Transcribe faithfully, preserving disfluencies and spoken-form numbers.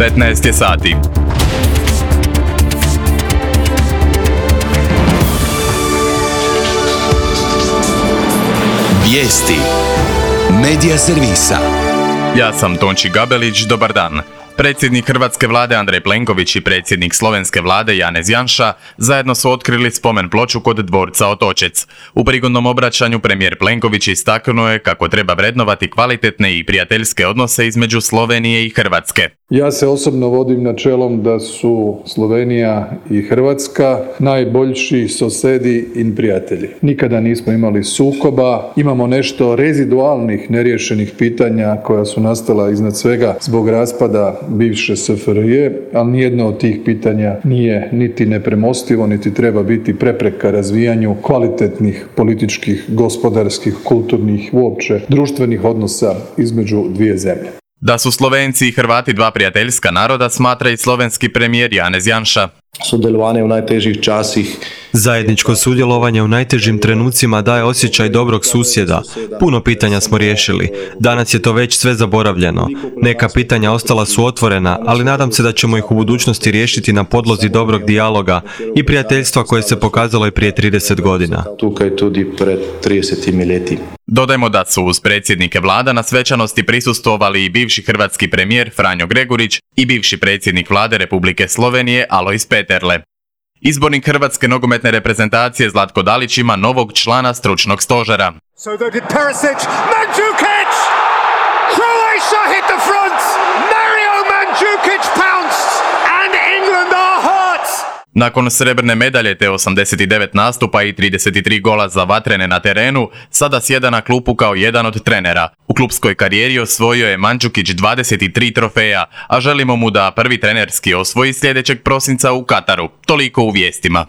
petnaest je sati. Vijesti Medija servisa. Ja sam Tonči Gabelić, dobar dan. Predsjednik hrvatske vlade Andrej Plenković i predsjednik slovenske vlade Janez Janša zajedno su otkrili spomen ploču kod dvorca Otočec. U prigodnom obraćanju premijer Plenković istaknuo je kako treba vrednovati kvalitetne i prijateljske odnose između Slovenije i Hrvatske. Ja se osobno vodim načelom da su Slovenija i Hrvatska najboljši sosedi i prijatelji. Nikada nismo imali sukoba, imamo nešto rezidualnih neriješenih pitanja koja su nastala iznad svega zbog raspada bivše S F R J, ali nijedno od tih pitanja nije niti nepremostivo, niti treba biti prepreka razvijanju kvalitetnih političkih, gospodarskih, kulturnih, uopće društvenih odnosa između dvije zemlje. Da su Slovenci i Hrvati dva prijateljska naroda, smatra i slovenski premijer Janez Janša. Sudjelovanje u najtežih časih. Zajedničko sudjelovanje u najtežim trenucima daje osjećaj dobrog susjeda. Puno pitanja smo riješili. Danas je to već sve zaboravljeno. Neka pitanja ostala su otvorena, ali nadam se da ćemo ih u budućnosti riješiti na podlozi dobrog dijaloga i prijateljstva koje se pokazalo i prije trideset godina. Tukaj tudi pred tridesetim leti. Dodajmo da su uz predsjednike vlada na svečanosti prisustvovali i bivši hrvatski premijer Franjo Gregurić i bivši predsjednik vlade Republike Slovenije Alojz Peterle. Izbornik hrvatske nogometne reprezentacije Zlatko Dalić ima novog člana stručnog stožera. So did Perisic, Mandžukić! Croatia hit the front! Mario Mandžukić pounced! And England are hurt! Nakon srebrne medalje te osamdeset devet nastupa i trideset tri gola za vatrene na terenu, sada sjeda na klupu kao jedan od trenera. U klupskoj karijeri osvojio je Mandžukić dvadeset tri trofeja, a želimo mu da prvi trenerski osvoji sljedećeg prosinca u Kataru. Toliko u vijestima.